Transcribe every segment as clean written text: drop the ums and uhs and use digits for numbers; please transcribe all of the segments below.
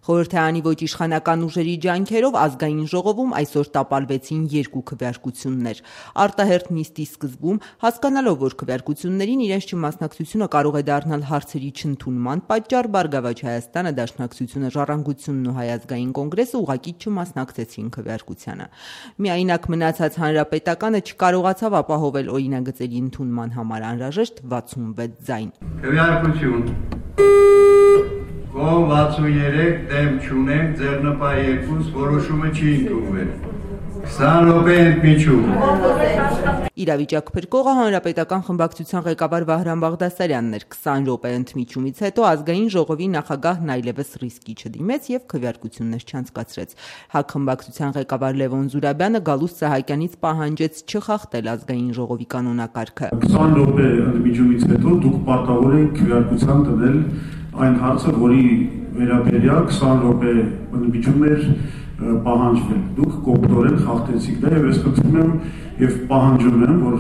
Խորհրդարանի ոչ իշխանական ուժերի ջանքերով ազգային ժողովում այսօր տապալվեցին 2 քվեարկություններ։ Արտահերթ նիստի սկզբում, հասկանալով, որ քվեարկություններին իրենց չմասնակցությունը կարող է դառնալ հարցերի չընդունման պատճառ, Բարգավաճ Հայաստանը, Դաշնակցությունը, Ժառանգությունն ու Հայ ազգային կոնգրեսը ուղղակի չմասնակցեցին քվեարկությանը։ Միայնակ մնացած Հանրապետականը չկարողացավ ապահովել օրինագծերի ընդունման համար անհրաժեշտ 66 ձայն։ Քվեարկություն Կողմ 63 դեմ չունեմ, ձեռնպահ 2, որոշումը չի ընդունվել։ 20 րոպե ընդմիջում։ Իրավիճակ փրկողը Հանրապետական խմբակցության ղեկավար Վահրամ Բաղդասարյանն էր։ 20 րոպե ընդմիջումից հետո ազգային ժողովի նախագահն այլևս ռիսկի չդիմեց եւ քվեարկություններ չանցկացրեց։ ՀԱԿ խմբակցության ղեկավար Լևոն Զուրաբյանը Գալուստ Սահակյանից պահանջեց չխախտել ազգային ժողովի կանոնակարգը։ 20 րոպե ընդմիջումից հետո դուք պարտավոր եք քվեարկության տնել այն հարցը, որի վերաբերյալ 20 րոպե ընդմիջում էր պահանջվել։ Դուք կոպտորեն խախտեցիք դա եւ ես խնդրում եմ եւ պահանջում եմ, որ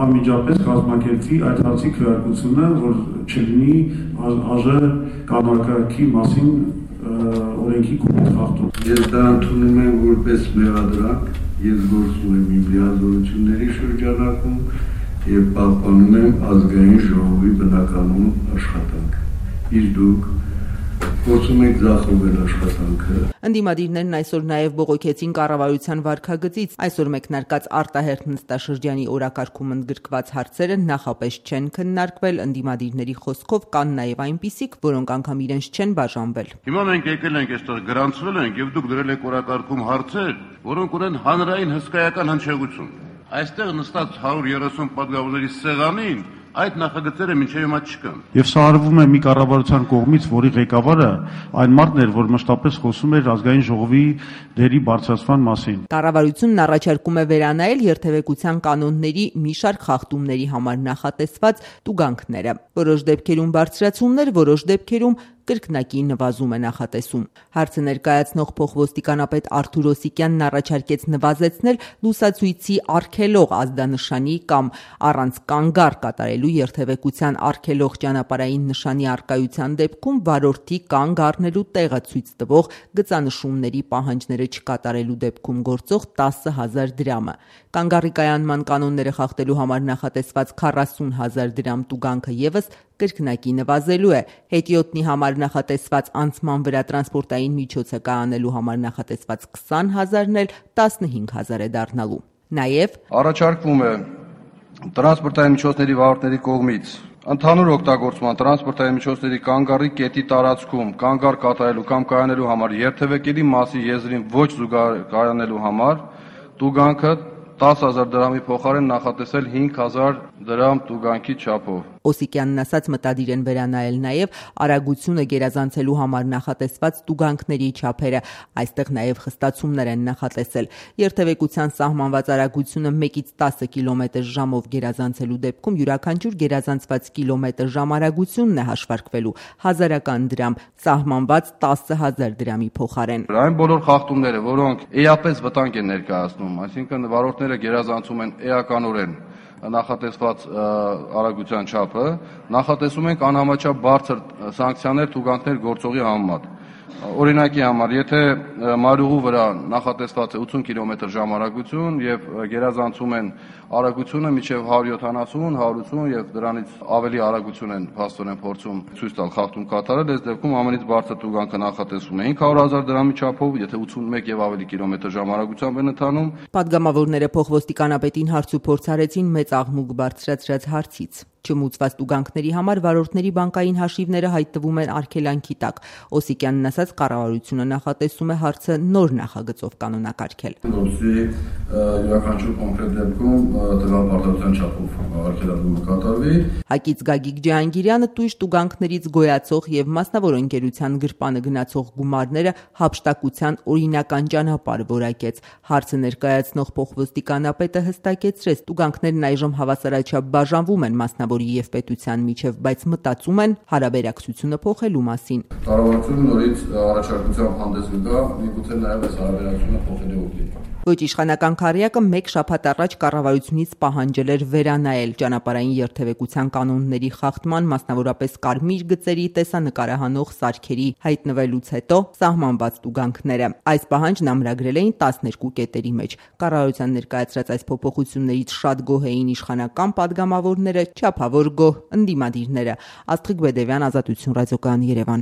անմիջապես կազմակերպվի այդ հարցի քվեարկությունը, որ չլինի ԱԺ կանոնակարգի մասին օրենքի կոպիտ խախտում։ Ես դա ընդունում եմ որպես մեղադրանք, ես գործում եմ իմ լիազորությունների շրջանակում եւ պահպանում եմ ազգային ժողովի բնականոն աշխատանքը։ Իսկ դուք փորձում եք ձախողել աշխատանքը։ Ընդդիմադիրներն այսօր նաև բողոքեցին կառավարության վարքագծից։ Այսօր մեկնարկած արտահերթ նստաշրջանի օրակարգում ընդգրկված հարցերը նախապես չեն քննարկվել։ Ընդդիմադիրների խոսքով կան նաև այնպիսիք, որոնք անգամ իրենց չեն բաժանվել։ Հիմա մենք եկել ենք այստեղ գրանցվել ենք եւ դուք դրել եք օրակարգում հարցեր, որոնք ունեն հանրային հսկայական հնչեղություն։ Այստեղ նստած 130 պատգամավորների սեղանին այդ նախագծերը մինչև հիմա չկան։ Եվ սա արվում է մի կառավարության կողմից, որի ղեկավարը այն մարդն էր, որ մշտապես խոսում էր ազգային ժողովի դերի բարձրացման մասին։ Կառավարությունն առաջարկում է վերանայել երթևեկության կանոնների մի շարք խախտումների համար նախատեսված տուգանքները։ Որոշ դեպքերում բարձրացումներ, որոշ դեպքերում կրկնակի նվազում է նախատեսում։ Հարցը ներկայացնող փոխոստիկանապետ Արթուր Օսիկյանն առաջարկեց նվազեցնել լուսացույցի արգելող ազդանշանի կամ առանց կանգառ կատարելու երթևեկության արգելող ճանապարհային նշանի առկայության դեպքում վարորդի կանգ առնելու տեղը ցույց տվող գծանշումների պահանջները չկատարելու դեպքում գործող 10,000 դրամը։ Կանգառի կայանման կանոնները խախտելու համար նախատեսված 40,000 դրամ տուգանքը եւս կրկնակի նվազելու է։ Հետիոտնի համար նախատեսված անցման վրա տրանսպորտային միջոցը կայանելու համար նախատեսված 20,000-ն էլ 15,000 է դառնալու։ Նաև առաջարկվում է տրանսպորտային միջոցների վարորդների կողմից ընդհանուր օգտագործման տրանսպորտային միջոցների կանգառի կետի տարածքում կանգառ կատարելու կամ կայանելու համար երթևեկելի մասի եզրին ոչ զուգակայանելու համար տուգանքը 10,000 դրամի փոխարեն նախատեսել 5,000 դրամ տուգանքի չափով։ Օսիկյանն ասաց մտադիր են վերանայել նաև արագությունը գերազանցելու համար նախատեսված տուգանքների չափերը։ Այստեղ նաև խստացումներ են նախատեսել։ Երթևեկության սահմանված արագությունը 1-ից 10 կմ/ժ-ով գերազանցելու դեպքում յուրաքանչյուր գերազանցված կիլոմետր/ժ արագությունն է հաշվարկվելու 1000 դրամ, սահմանված 10,000 դրամի փոխարեն։ Այն բոլոր խախտումները, որոնք էապես վտանգ են ներկայացնում, այսինքն վարորդները գերազանցում են էականորեն նախատեսված արագության չափը, նախատեսում ենք անհամաչափ բարձր սանկցիաներ թուգանքներ գործողի համեմատ։ Օրինակի համար, եթե մարուղու վրա նախատեսված է 80 կմ/ժ արագություն եւ գերազանցում են արագությունը մինչեւ 170, 180 եւ դրանից ավելի արագություն են փաստորեն փորձում ցույց տալ խախտում կատարել, այս դեպքում ամենից բարձր տուգանքը նախատեսվում է 500,000 դրամի չափով, եթե 81 եւ ավելի կմ/ժ արագությամբ են ընթանում։ Պատգամավորները փոխոստիկանապետին հարց ու փորձ արեցին մեծ աղմուկ բարձրացրած հարցից։ Չմուծված տուգանքների համար վարորդների բանկային հաշիվները հայտնվում են արգելանքի տակ։ Օսիկյանն ասաց, կառավարությունը նախատեսում է հարցը նոր նախագծով կանոնակարգել։ Որպեսզի յուրաքանչյուր կոնկրետ դեպքում տվյալ պարտության չափով արգելանումը կատարվի։ ՀԱԿ-ից Գագիկ Ջահանգիրյանը տույժ տուգանքներից գոյացող եւ մասնավոր ընկերության գրպանը գնացող գումարները հափշտակության օրինական ճանապարհ որակեց։ Հարցը ներկայացնող փոխոստիկանապետը հստակեցրեց, տուգանքներն այժմ հավասարաչափ բաժանվում են մասնավոր մասնավորի եւ պետության միջև, բայց մտածում են հարաբերակցությունը փոխելու մասին։ Կառավարությունը նորից առաջարկությամբ հանդես գա, միգուցե նաեւ այս հարաբերակցությունը փոխելու ուղղությամբ։ Ոչ իշխանական քառյակը մեկ շաբաթ առաջ կառավարությունից պահանջել էր վերանայել ճանապարհային երթևեկության կանոնների խախտման, մասնավորապես կարմիր գծերի տեսանկարահանող սարքերի հայտնվելուց հետո սահմանված տուգանքները։ Այս պահանջն ամրագրել էին 12 կետերի մեջ։ Կառավարության ներկայացրած այս փոփոխություններից շատ գոհ էին իշխանական падգամավորները, չափավոր գոհ ընդդիմադիրները։ Աստղիկ Բեդևյան, Ազատություն ռադիոկայան, Երևան։